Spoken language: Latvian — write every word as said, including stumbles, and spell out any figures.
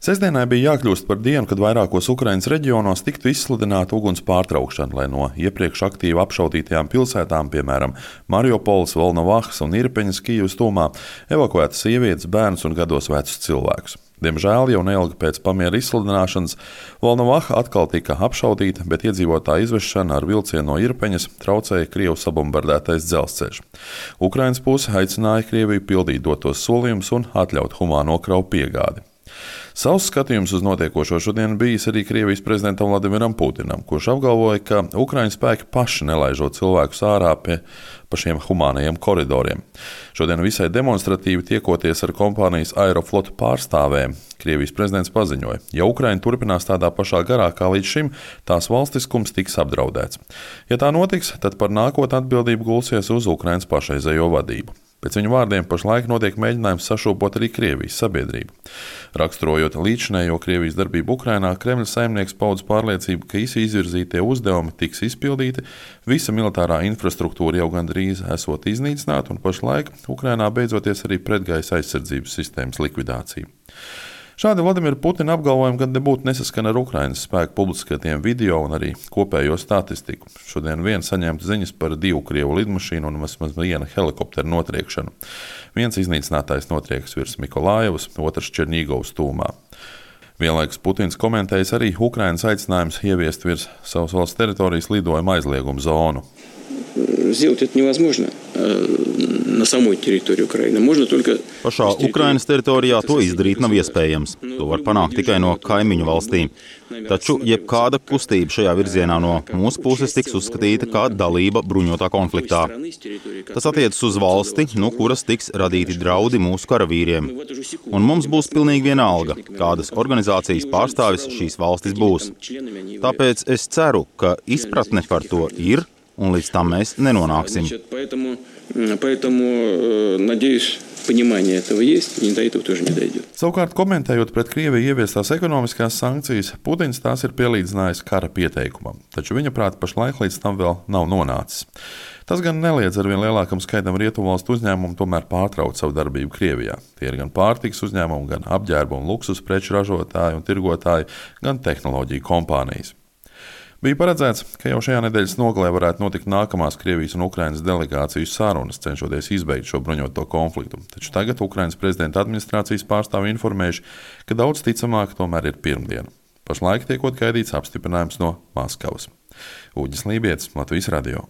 Sestdienai bija jākļūst par dienu, kad vairākos Ukrainas reģionos tiktu izsludināta uguns pārtraukšana, lai no iepriekš aktīvi apšaudītajām pilsētām, piemēram, Mariupols, Volnovahas un Irpeņas Kijivas tūmā, evakuētas sievietes, bērnus un gados vecus cilvēkus. Diemžēl jau neilgi pēc pamiera izsludināšanas Volnovaha atkal tika apšaudīta, bet iedzīvotāju izvešana ar vilcienu no Irpeņas traucēja Krievu sabumbardētais dzelzceļš. Ukrainas puse aicināja Krieviju pildīt dotos solījumus un atļaut humāno kravu piegādi. Savs skatījums uz notiekošo šodien bijis arī Krievijas prezidentam Vladimiram Putinam, kurš apgalvoja, ka Ukraiņas spēki paši nelaižot cilvēkus ārā pie pa šiem humānajiem koridoriem. Šodien visai demonstratīvi tiekoties ar kompānijas Aeroflot pārstāvēm, Krievijas prezidents paziņoja, ja Ukraina turpinās tādā pašā garā kā līdz šim, tās valstiskums tiks apdraudēts. Ja tā notiks, tad par nākotni atbildību gulsies uz Ukrainas pašreizējo vadību. Pēc viņa vārdiem pašlaik notiek mēģinājums sašūpot arī Krievijas sabiedrību. Raksturojot līdzinējo Krievijas darbību Ukrainā, Kremļa saimnieks paudz pārliecību, ka visi izvirzītie uzdevumi tiks izpildīti, visa militārā infrastruktūra jau gandrīz esot iznīcināta un pašlaik Ukrainā beidzoties arī pretgaisa aizsardzības sistēmas likvidācija. Šādi Vladimira Putina apgalvojumi gan nebūtu nesaskana ar Ukrainas spēku publiskatiem video un arī kopējo statistiku. Šodien vien saņemta ziņas par divu Krievu lidmašīnu un vismaz viena helikoptera notriekšanu. Viens iznīcinātais notriekas virs Mikolājevas, otrs Černīgovas tūmā. Vienlaikus Putins komentējis arī Ukrainas aicinājums ieviest virs savas valsts teritorijas lidojuma aizliegumu zonu. Сделать это невозможно на самой территории Украины. Можно только Pašā Ukrainas teritorijā to izdarīt nav iespējams. To var panākt tikai no kaimiņu valstīm. Taču jebkāda kustība šajā virzienā no mūsu puses tiks uzskatīta kā dalība bruņotā konfliktā. Tas attiecas uz valsti, no kuras tiks radīti draudi mūsu karavīriem. Un mums būs pilnīgi vienalga, kādas organizācijas pārstāvis šīs valstis būs. Tāpēc es ceru, ka izpratne par to ir, un līdz tam mēs nenonāksim. Savukārt, komentējot pret Krieviju ieviestās ekonomiskās sankcijas, Putins tās ir pielīdzinājis kara pieteikumam, taču viņa prāt pašlaik līdz tam vēl nav nonācis. Tas gan neliedz arvien lielākam skaitam rietumvalstu uzņēmumu tomēr pārtraukt savu darbību Krievijā. Tie ir gan pārtikas uzņēmumi, gan apģērbu un luksus preču ražotāji un tirgotāji, gan tehnoloģiju kompānijas. Bija paredzēts, ka jau šajā nedēļas nogalē varētu notikt nākamās Krievijas un Ukrainas delegāciju sarunas, cenšoties izbeigt šo bruņoto konfliktu. Taču tagad Ukrainas prezidenta administrācijas pārstāvi informējuši, ka daudz ticamāk tomēr ir pirmdiena. Pašlaik tiekot gaidīts apstiprinājums no Maskavas. Uģis Lībietis, Latvijas radio.